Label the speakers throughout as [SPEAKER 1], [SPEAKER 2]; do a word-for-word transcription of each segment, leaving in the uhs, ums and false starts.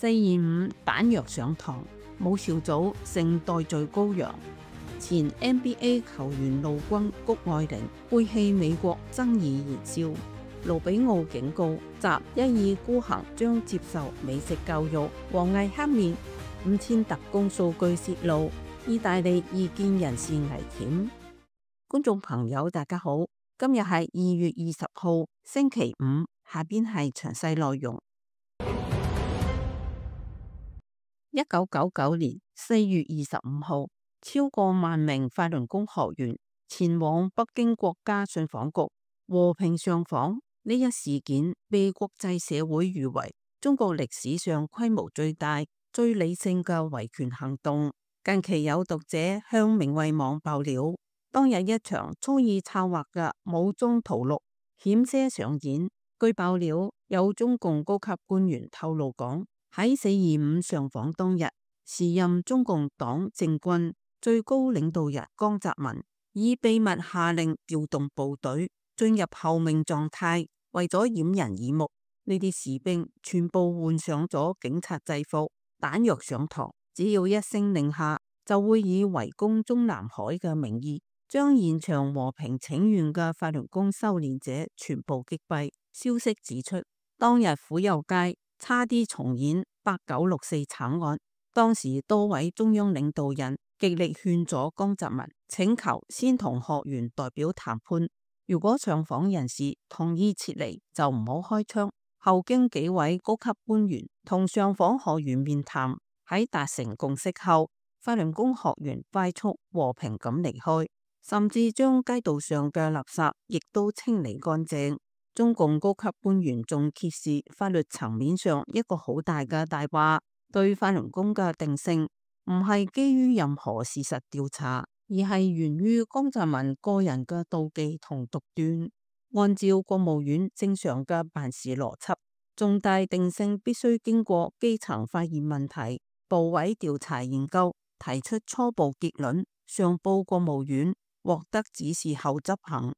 [SPEAKER 1] 四二五彈藥上膛，武少祖成代罪羔羊。前 N B A 球員陸軍谷愛凌背棄美國爭議燃燒，盧比奧警告習一意孤行將接受美式教育。王毅黑面，五千特工數據洩露，意大利異見人士危險。觀眾朋友大家好，今日係二月二十號星期五，下邊係詳細內容。一九九九年四月二十五號，超過萬名法輪功學員前往北京國家信訪局和平上訪。呢一事件被國際社會譽為中國歷史上規模最大、最理性嘅維權行動。近期有讀者向明慧網爆料，當日一場蓄意策劃嘅武裝屠戮險些上演。據爆料，有中共高級官員透露講，喺四二五上訪當日，時任中共黨政軍最高領導人江澤民已秘密下令調動部隊進入候命狀態，為咗掩人耳目，呢啲士兵全部換上咗警察制服，彈藥上膛，只要一聲令下，就會以圍攻中南海嘅名義，將現場和平請願嘅法輪功修煉者全部擊斃。消息指出，當日府右街差啲重演八九六四慘案，當時多位中央領導人極力勸阻江澤民，請求先同學員代表談判，如果上訪人士同意撤離，就唔好開槍。後經幾位高級官員同上訪學員面談，喺達成共識後，法輪功學員快速和平咁離開，甚至將街道上嘅垃圾亦都清理乾淨。中共高級官員仲揭示法律層面上一個好大嘅大話，對法輪功嘅定性唔係基於任何事實調查，而係源於江澤民個人嘅妒忌同獨斷。按照國務院正常嘅辦事邏輯，重大定性必須經過基層發現問題、部委調查研究，提出初步結論，上報國務院，獲得指示後執行。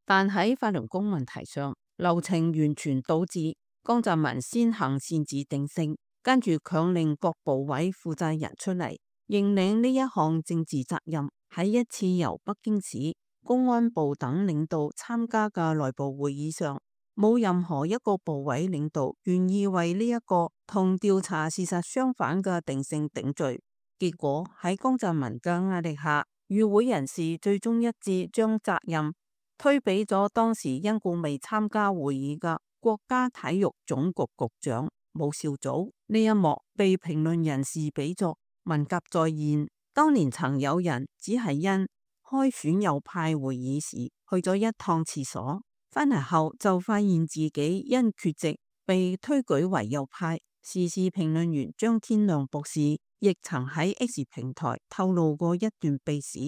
[SPEAKER 1] 但喺法輪功問題上，流程完全倒置。江澤民先行擅自定性，跟住強令各部委負責人出嚟認領呢一項政治責任。喺一次由北京市公安部等領導參加嘅內部會議上，冇任何一個部委領導願意為呢一個同調查事實相反嘅定性頂罪。結果喺江澤民嘅壓力下，與會人士最終一致將責任推俾咗當時因故未參加會議嘅國家體育總局局長武少祖。呢一幕被評論人士比作文革再現。當年曾有人只係因開選右派會議時去咗一趟廁所，返嚟後就發現自己因缺席被推舉為右派。時事評論員張天亮博士亦曾喺 X 平台透露過一段秘史。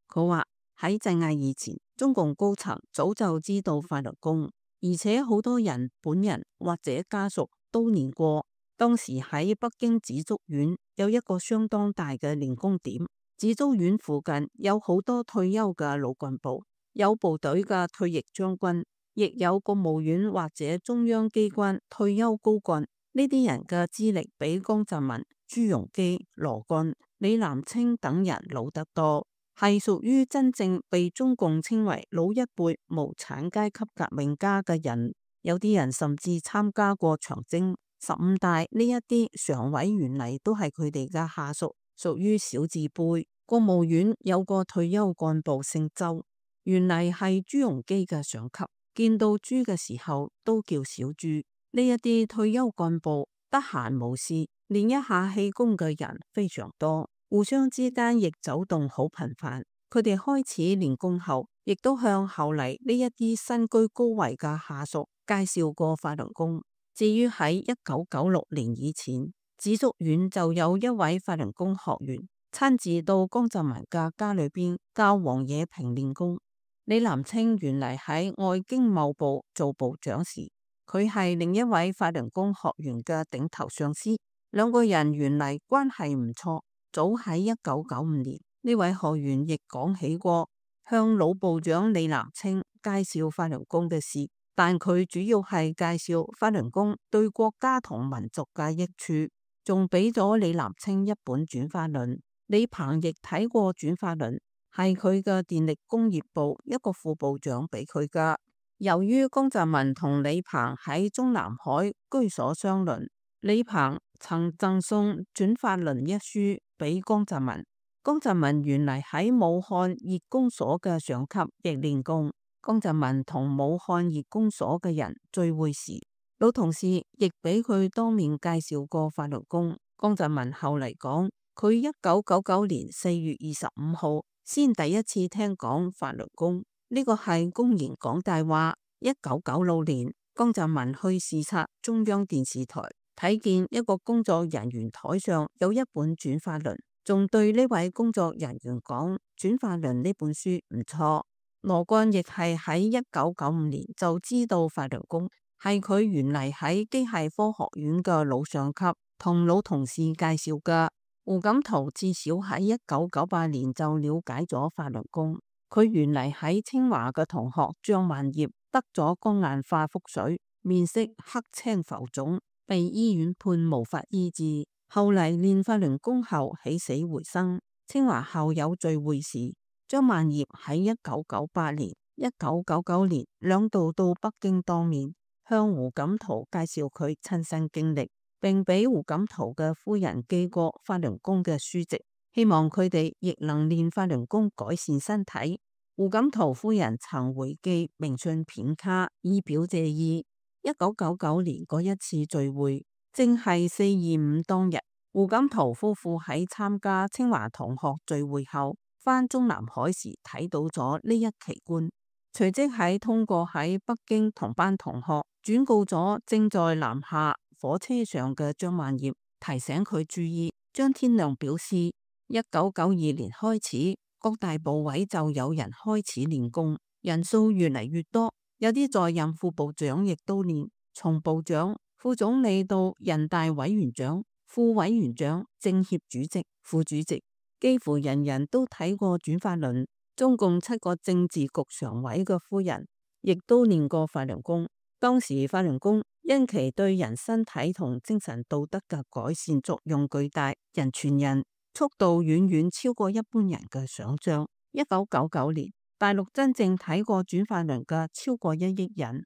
[SPEAKER 1] 佢話喺鎮壓以前，中共高層早就知道法輪功，而且好多人本人或者家屬都練過。當時喺北京紫竹院有一個相當大嘅練功點，紫竹院附近有好多退休嘅老幹部，有部隊嘅退役將軍，亦有國務院或者中央機關退休高幹。呢啲人嘅資歷比江澤民、朱鎔基、羅幹、李嵐清等人老得多，係屬於真正被中共稱為老一輩無產階級革命家嘅人。有啲人甚至參加過長征、十五大，呢一啲常委原嚟都係佢哋嘅下屬，屬於小字輩。國務院有個退休幹部姓周，原嚟係朱鎔基嘅上級，見到朱嘅時候都叫小朱。呢一啲退休幹部得閒無事練一下氣功嘅人非常多，互相之間亦走動好頻繁。佢哋開始練功後，亦都向後嚟呢一啲身居高位嘅下屬介紹過法輪功。至於喺一九九六年以前，紫竹院就有一位法輪功學員親自到江澤民嘅家裏邊教王冶平練功。李嵐清原嚟喺外經貿部做部長時，佢係另一位法輪功學員嘅頂頭上司，兩個人原嚟關係唔錯。早喺一九九五年，呢位學員亦講起過向老部長李嵐清介紹法輪功嘅事，但佢主要係介紹法輪功對國家同民族嘅益處。仲俾咗李南清一本轉化論。李鵬亦睇過轉化論，係佢嘅電力工業部一個副部長俾佢噶。由於江澤民同李鵬喺中南海居所相鄰，李鵬曾贈送轉化論一書俾江澤民。江澤民原嚟喺武漢熱工所嘅上級亦練功。江澤民同武漢熱工所嘅人聚會時，老同事亦俾佢當面介紹過法輪功。江澤民後嚟講，佢一九九九年四月二十五號先第一次聽講法輪功，呢個係公然講大話。一九九六年，江澤民去視察中央電視台，睇見一個工作人員台上有一本轉化論，仲對呢位工作人員講轉化論呢本書唔錯。羅幹亦係喺一九九五年就知道法輪功，係佢原嚟喺機械科學院嘅老上級同老同事介紹嘅。胡錦濤至少喺一九九八年就了解咗法輪功。佢原嚟喺清華嘅同學張萬業得咗肝硬化腹水，面色黑青浮腫，被醫院判無法醫治。後嚟練法輪功後起死回生。清華校友聚會時，張萬業喺一九九八年、一九九九年兩度到北京當面，向胡錦濤介紹佢親身經歷，並俾胡錦濤嘅夫人寄過法輪功嘅書籍，希望佢哋亦能練法輪功改善身體。胡錦濤夫人曾回寄明信片卡以表謝意。一九九九年嗰一次聚會，正係四二五當日。胡錦濤夫婦喺參加清華同學聚會後，返中南海時睇到咗呢一奇觀，隨即喺通過喺北京同班同學轉告咗正在南下火車上嘅張萬業，提醒佢注意。張天亮表示，一九九二年開始，各大部委就有人開始練功，人數越嚟越多，有啲在任副部長亦都練，從部長、副總理到人大委員長、副委員長、政協主席、副主席，幾乎人人都睇過轉化論。中共七個政治局常委嘅夫人亦都練過法輪功。當時法輪功因其對人身體同精神道德嘅改善作用巨大，人傳人，速度遠遠超過一般人嘅想象。一九九九年，大陸真正睇過轉化論嘅超過一億人。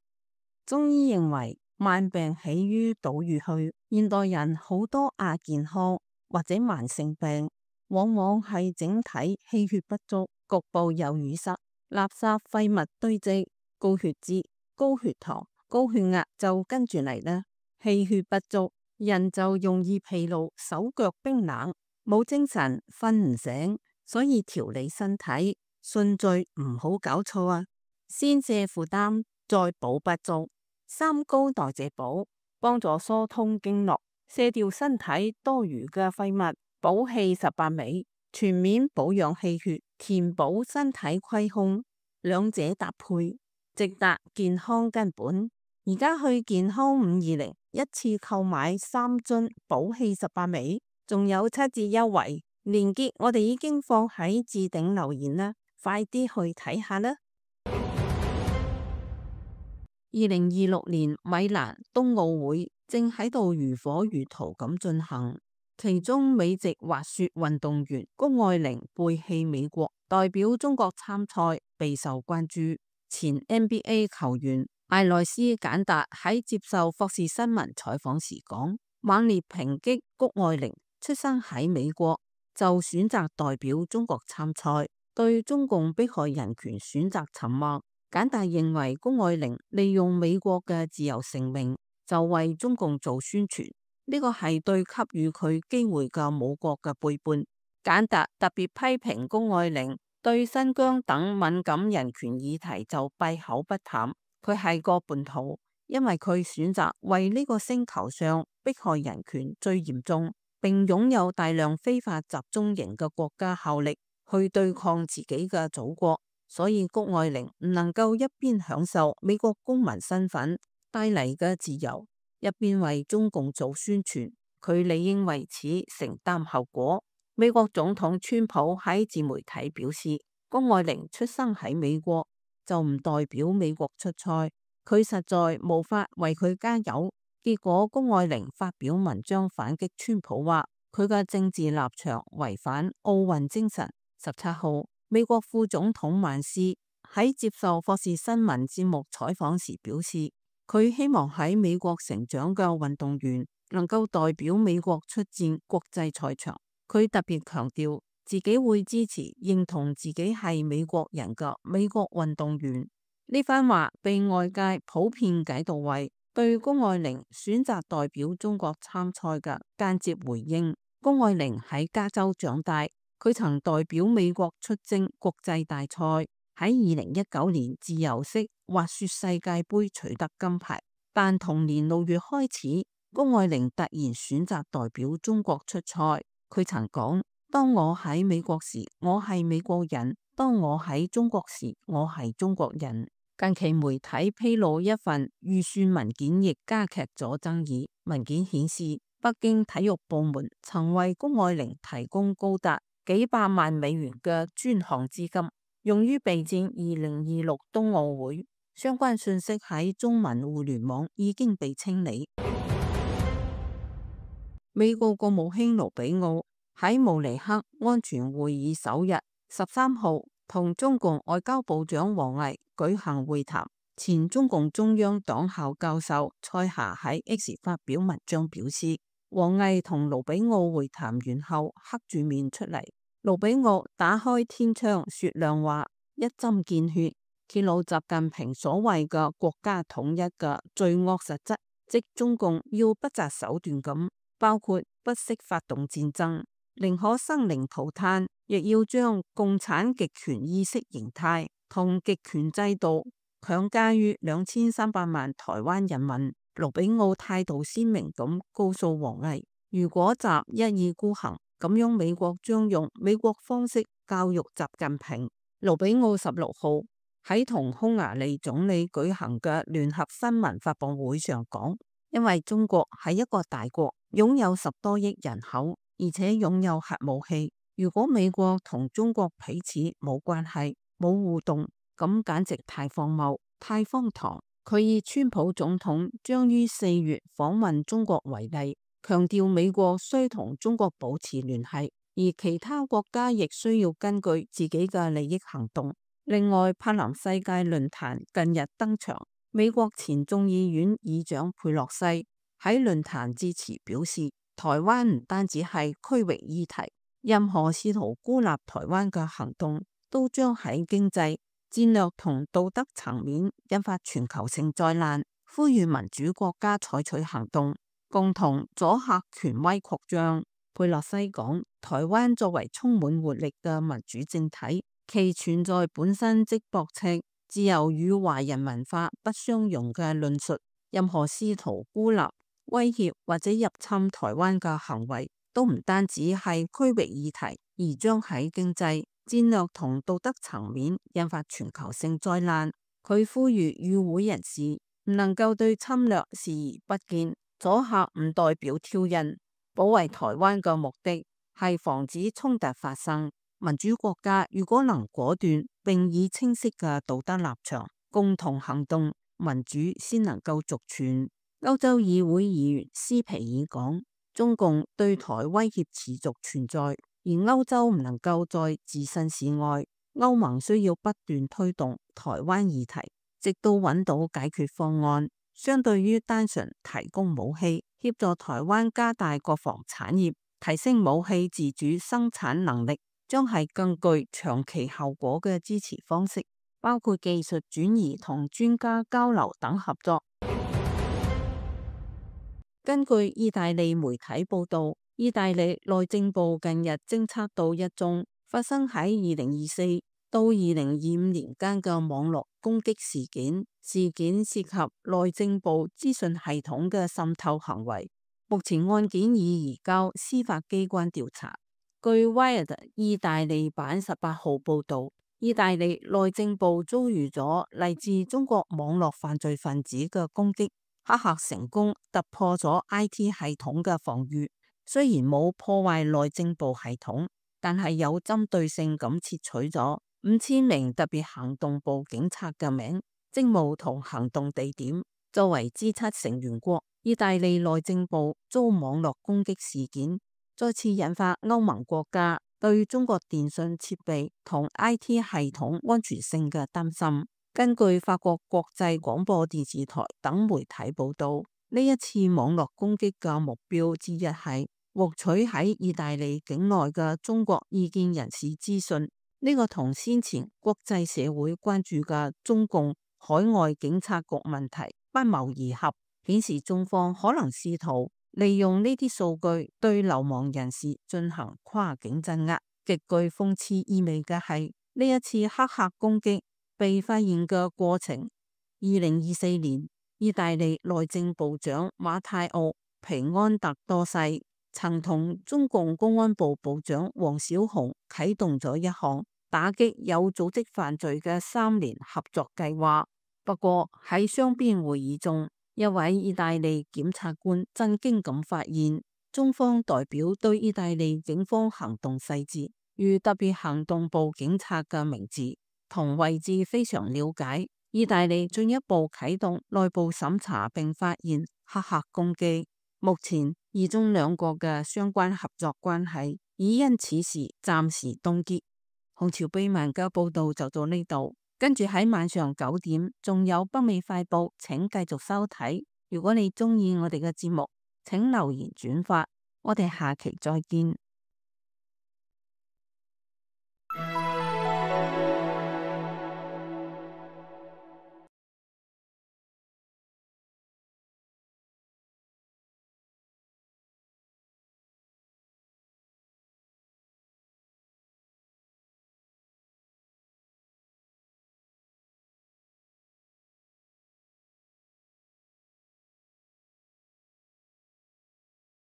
[SPEAKER 1] 中醫認為，慢病起於島嶼去，現代人好多亞健康或者慢性病，往往係整體氣血不足，局部有淤塞、垃圾廢物堆積，高血脂、高血糖、高血壓就跟住嚟啦。氣血不足，人就容易疲勞、手腳冰冷、冇精神、瞓唔醒，所以調理身體順序唔好搞錯啊！先卸負擔，再補不足，三高代謝補，幫助疏通經絡，卸掉身體多餘嘅廢物，補氣十八味，全面保養氣血，填補身體虧空，兩者搭配，直達健康根本。而家去健康五二零，一次購買三樽補氣十八味，仲有七折優惠，連結我哋已經放喺置頂留言啦，快啲去睇下啦！二零二六年米蘭冬奧會正喺度如火如荼咁進行，其中美籍滑雪運動員谷愛凌背棄美國，代表中國參賽，備受關注。前 N B A 球員艾萊斯簡達喺接受霍士新聞採訪時講，猛烈抨擊谷愛凌出生喺美國就選擇代表中國參賽，對中共迫害人權選擇沉默。簡達認為谷愛凌利用美國嘅自由成名，就為中共做宣傳，呢個係對給予佢機會嘅母國嘅背叛。簡達特別批評谷愛凌對新疆等敏感人權議題就閉口不談，佢係個叛徒，因為佢選擇為呢個星球上迫害人權最嚴重並擁有大量非法集中營嘅國家效力，去對抗自己嘅祖國。所以谷愛凌唔能夠一邊享受美國公民身份帶嚟嘅自由，一邊為中共做宣傳，佢理應為此承擔後果。美國總統川普喺自媒體表示，谷愛凌出生喺美國就唔代表美國出賽，佢實在無法為佢加油。結果谷愛凌發表文章反擊川普，話佢嘅政治立場違反奧運精神。十七號，美國副總統萬斯喺接受霍士新聞節目採訪時表示，佢希望喺美國成長嘅運動員能夠代表美國出戰國際賽場。佢特別強調自己會支持認同自己係美國人嘅美國運動員。呢番話被外界普遍解讀為對谷愛凌選擇代表中國參賽嘅間接回應。谷愛凌喺加州長大，佢曾代表美國出征國際大賽，喺二零一九年自由式滑雪世界盃取得金牌。但同年六月開始，谷愛凌突然選擇代表中國出賽。佢曾講：當我喺美國時，我係美國人；當我喺中國時，我係中國人。近期媒體披露一份預算文件，亦加劇咗爭議。文件顯示，北京體育部門曾為谷愛凌提供高達幾百萬美元嘅專項資金，用於備戰二零二六冬奧會。相關信息喺中文互聯網已經被清理。美國國務卿盧比奧喺慕尼黑安全會議首日十三號同中共外交部長王毅舉行會談。前中共中央黨校教授蔡霞喺 X 發表文章表示，王毅同盧比奧會談完後黑住面出嚟。盧比奧打開天窗說亮話，一針見血，揭露習近平所謂嘅國家統一嘅罪惡實質，即中共要不擇手段咁，包括不惜發動戰爭，寧可生靈塗炭，亦要將共產極權意識形態同極權制度強加於兩千三百萬台灣人民。盧比奧態度鮮明咁告訴王毅，如果習一意孤行，咁樣美國將用美國方式教育習近平。盧比奧十六號喺同匈牙利總理舉行嘅聯合新聞發佈會上講，因為中國係一個大國，擁有十多億人口，而且擁有核武器。如果美國同中國彼此冇關係、冇互動，咁簡直太荒謬、太荒唐。佢以川普總統將於四月訪問中國為例，強調美國需同中國保持聯繫，而其他國家亦需要根據自己嘅利益行動。另外，柏林世界論壇近日登場，美國前眾議院議長佩洛西喺論壇致辭表示，台灣唔單止係區域議題，任何試圖孤立台灣嘅行動都將喺經濟、戰略同道德層面引發全球性災難，呼籲民主國家採取行動，共同阻嚇權威擴張。佩洛西講，台灣作為充滿活力嘅民主政體，其存在本身即駁斥自由與華人文化不相容嘅論述。任何試圖孤立、威脅或者入侵台灣嘅行為，都唔單止係區域議題，而將喺經濟、戰略同道德層面引發全球性災難。佢呼籲與會人士唔能夠對侵略視而不見，阻嚇唔代表挑釁。保衛台灣嘅目的係防止衝突發生。民主國家如果能果斷並以清晰嘅道德立場共同行動，民主先能夠續存。歐洲議會議員斯皮爾講，中共對台威脅持續存在，而歐洲唔能夠再置身事外。歐盟需要不斷推動台灣議題，直到揾到解決方案。相對於單純提供武器，協助台灣加大國防產業，提升武器自主生產能力，將係更具長期效果嘅支持方式，包括技術轉移同專家交流等合作。根據意大利媒體報道，意大利內政部近日偵測到一宗發生喺二零二四到二零二五年間嘅網絡攻擊事件，事件涉及內政部資訊系統嘅滲透行為。目前案件已移交司法機關調查。據 Wired 意大利版十八號報道，意大利內政部遭遇咗嚟自中國網絡犯罪分子嘅攻擊。黑客成功突破咗 I T 系統嘅防禦，雖然冇破壞內政部系統，但係有針對性咁竊取咗五千名特別行動部警察嘅名、職務同行動地點。作為 G 七 成員國，意大利內政部遭網絡攻擊事件，再次引發歐盟國家對中國電信設備同 I T 系統安全性嘅擔心。根據法國國際廣播電視台等媒體報道，呢一次網絡攻擊嘅目標之一係獲取喺意大利境內嘅中國異見人士資訊。呢個同先前國際社會關注嘅中共海外警察局問題不謀而合，顯示中方可能試圖利用呢啲數據對流亡人士進行跨境鎮壓。極具諷刺意味嘅係，呢一次黑客攻擊被發現嘅過程，二零二四年，意大利內政部長馬泰奧皮安特多西曾同中共公安部部長王小洪啟動咗一項打擊有組織犯罪嘅三年合作計劃。不過喺雙邊會議中，一位意大利檢察官震驚咁發現，中方代表對意大利警方行動細節，如特別行動部警察嘅名字同位置非常了解。意大利進一步啟動內部審查，並發現黑客攻擊。目前，意中兩國嘅相關合作關係已因此事暫時凍結。紅潮秘聞嘅報道就到呢度，跟住喺晚上九點仲有北美快報，請繼續收睇。如果你中意我哋嘅節目，請留言轉發，我哋下期再見。